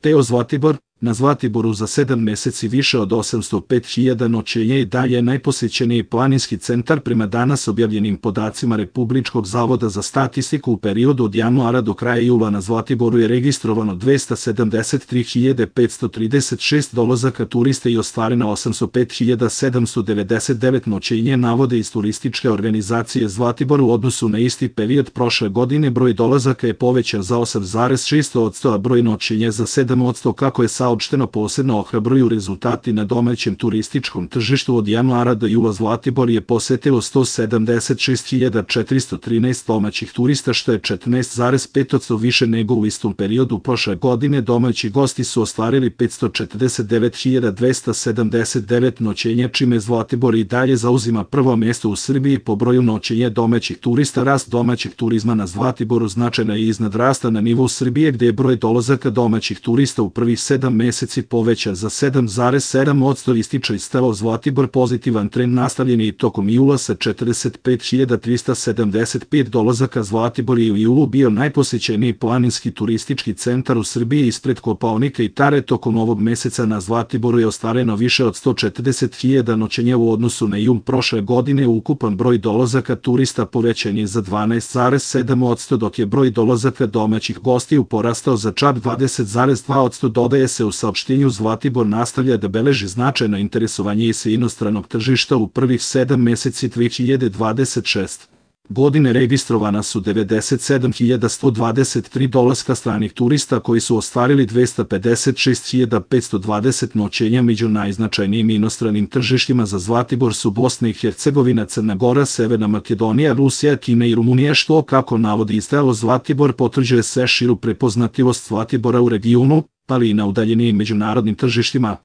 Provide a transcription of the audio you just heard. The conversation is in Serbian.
Teo Zlatibor, na Zlatiboru za 7 meseci više od 805.000 noćenja i dalje je najposećeniji planinski centar prema danas objavljenim podacima Republičkog zavoda za statistiku. U periodu od januara do kraja jula na Zlatiboru je registrovano 273.536 dolazaka turista i ostvareno 805.799 noćenja, navode iz turističke organizacije Zlatibor. U odnosu na isti period prošle godine broj dolazaka je povećan za 8,6%, a broj noćenja za 7%, kako je saopšteno. Posebno ohrabruju rezultati na domaćem turističkom tržištu. Od januara do jula Zlatibor je posetilo 176.413 domaćih turista, što je 14,5% više nego u istom periodu prošle godine. Domaći gosti su ostvarili 549.279 noćenja, čime Zlatibor i dalje zauzima prvo mjesto u Srbiji po broju noćenja domaćih turista. Rast domaćeg turizma na Zlatiboru značajno je iznad rasta na nivou Srbije, gde je broj dolazaka domaćih turista u prvih 7 meseci povećan za 7,7%, ističe Stelo Zlatibor. Pozitivan trend nastavljen je i tokom jula sa 45.375 dolazaka. Zlatibor je u julu bio najposećeniji planinski turistički centar u Srbiji ispred Kopaonika i Tare. Tokom ovog meseca na Zlatiboru je ostvareno više od 140.000 noćenja u odnosu na jul prošle godine. Ukupan broj dolazaka turista povećan je za 12,7%, dok je broj dolazaka domaćih gostiju porastao za čak 20,2%. Dodaje se u saopštenju Zlatibor nastavlja da beleži značajno interesovanje sa inostranog tržišta. U prvih 7 meseci 2026. godine registrovana su 97.123 dolaska stranih turista, koji su ostvarili 256.520 noćenja. Među najznačajnijim inostranim tržištima za Zlatibor su Bosna i Hercegovina, Crna Gora, Severna Makedonija, Rusija, Kina i Rumunija, što, kako navodi Stelo Zlatibor, potvrđuje sve širu prepoznatljivost Zlatibora u regionu, ali i na udaljenijim međunarodnim tržištima.